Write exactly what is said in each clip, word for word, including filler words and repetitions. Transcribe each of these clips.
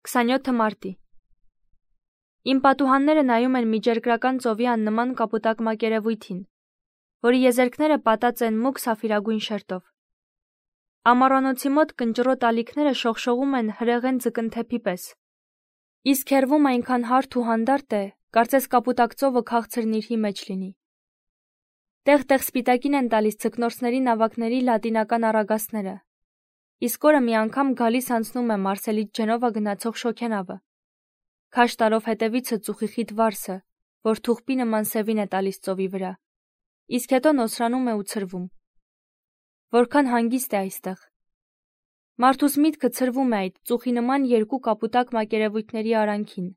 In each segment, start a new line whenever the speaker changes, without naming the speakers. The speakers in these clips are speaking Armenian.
քսաներորդ մարտի Իմ պատուհանները նայում են միջերկրական ծովի աննման կապուտակ մակերևույթին, որի եզերքները պատած են մուգ սաֆիրագույն շերտով։ Ամառանոցի մոտ կնճռոտ ալիքները շողշողում են հրեղեն ձկնթեփի պես, իսկ հեռվում այնքան հարթ ու հանդարտ է, կարծես կապուտակ ծովը քաղցր նիրհի մեջ լինի։ Տեղ-տեղ սպիտակին են տալիս ձկնորսների նավակների լատինական առագաստները, իսկ օրը մի անգամ գալիս անցնում է Մարսելից Ջենովա գնացող շոգենավը, քաշ տալով հետևիցը ծուխիխիտ վարսը, որ թուղպի նման սևին է տալիս ծովի վրա, իսկ հետո նոսրանում է ու ցրվում։ Որքան հանգիստ է այստեղ։ Մարդուս միտքը ցրվում է այդ ծուխի նման երկու կապուտակ մակերևույթների արանքին,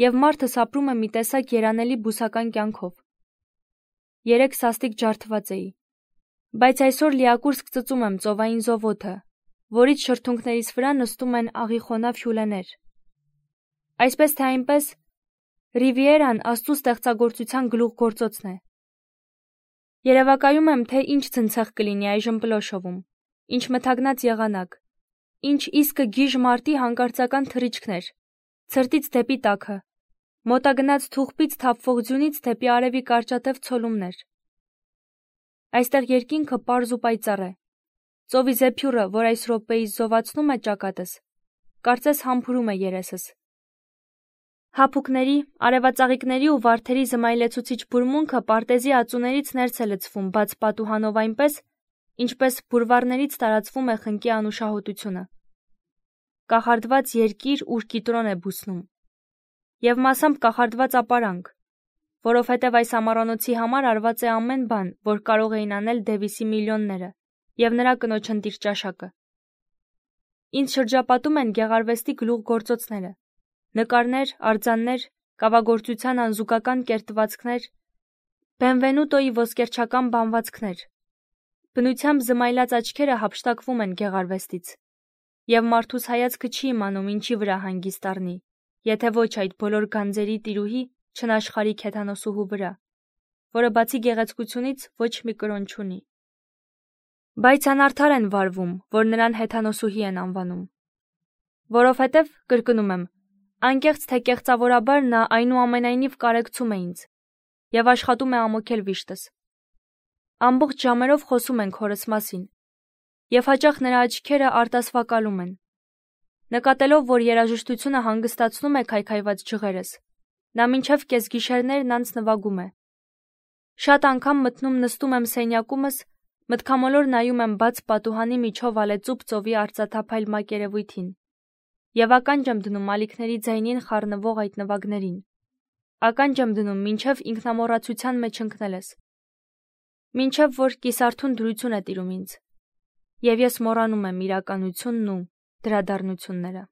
և մարդս ապրում է մի տեսակ երանելի բուսական կյանքով։ Երեկ սաստիկ ջարդված էի, բայց այսօր լիակուրս կծծում եմ ծովային զովոթը, որից շրթունքներիս վրա նստում են աղիխոնավ հյուլեներ։ Այսպես թե այնպես, Ռիվիերան Աստծու ստեղծագործության գլուխգործոցն է։ Երևակայում եմ, թե ինչ ցնցեղ կլինի այժմ Պլոշովում, ինչ մթագնած եղանակ, ինչ իսկը գիժ մարտի հանկարծական թռիչքներ, ցրտից դեպի տաքը, մոտագնաց թուղպից թափվող ձյունից դեպի արևի կարճատև ցոլումներ։ Այստեղ երկինքը պարզ ու պայծառ է։ Ծովի զեփյուռը, որ այս րոպեիս զովացնում է ճակատս, կարծես համբուրում է երեսս։ Հափուկների, արևածաղիկների ու վարդերի զմայլեցուցիչ բուրմունքը պարտեզի ածուներից ներս է լցվում բաց պատուհանով այնպես, ինչպես բուրվարներից տարածվում է խնկի անուշահոտությունը։ Կախարդված երկիր, ուր կիտրոն է բուսնում։ Եվ մասամբ կախարդված ապարանք, որովհետև այս ամառանոցի համար արված է ամեն բան, որ կարող էին անել Դևիսի միլիոնները, և նրա կնոջ ընտիր ճաշակը։ Ինձ շրջապատում են գեղարվեստի գլուխգործոցները, նկարներ, արձաններ, կավագործության անզուգական կերտվածքներ, Բենվենուտոյի ոսկերչական բանվածքներ։ Բնությամբ զմայլած աչքերը հափշտակվում են գեղարվեստից, և մարդուս հայացքը չի իմանում ինչի վրա հանգիստ առնի, եթե ոչ այդ բոլոր գանձերի տիրուհի չնաշխարհիկ հեթանոսուհու վրա, որը բացի գեղեցկությունից ոչ մի կրոն չունի։ Բայց անարդար են վարվում, որ նրան հեթանոսուհի են անվանում։ Որովհետև, կրկնում եմ, անկեղծ թե կեղծավորաբար նա այնուամենայնիվ կարեկցում է ինձ և աշխատում է ամոքել վիշտս։ Ամբողջ ժամերով խոսում ենք հորս մասին, և հաճախ նրա աչքերը արտասվակալում են։ Նկատելով, որ երաժշտությունը հանգստացնում է քայքայված ջղերս, նա մինչև կեսգիշերներն անց նվագում է։ Շատ անգամ մտնում նստում եմ սենյակումս, մտքամոլոր նայում եմ բաց պատուհանի միջով ալեծուփ ծովի արծաթափայլ մակերևույթին, և ականջ եմ դնում ալիքների ձայնին խառնվող այդ նվագներին, ականջ եմ դնում մինչև ինքնամոռացության մեջ ընկնելս, մինչև որ կիսարթուն դրություն է տիրում ինձ, և ես մոռանում եմ իրականությունն ու դրադառնությունները։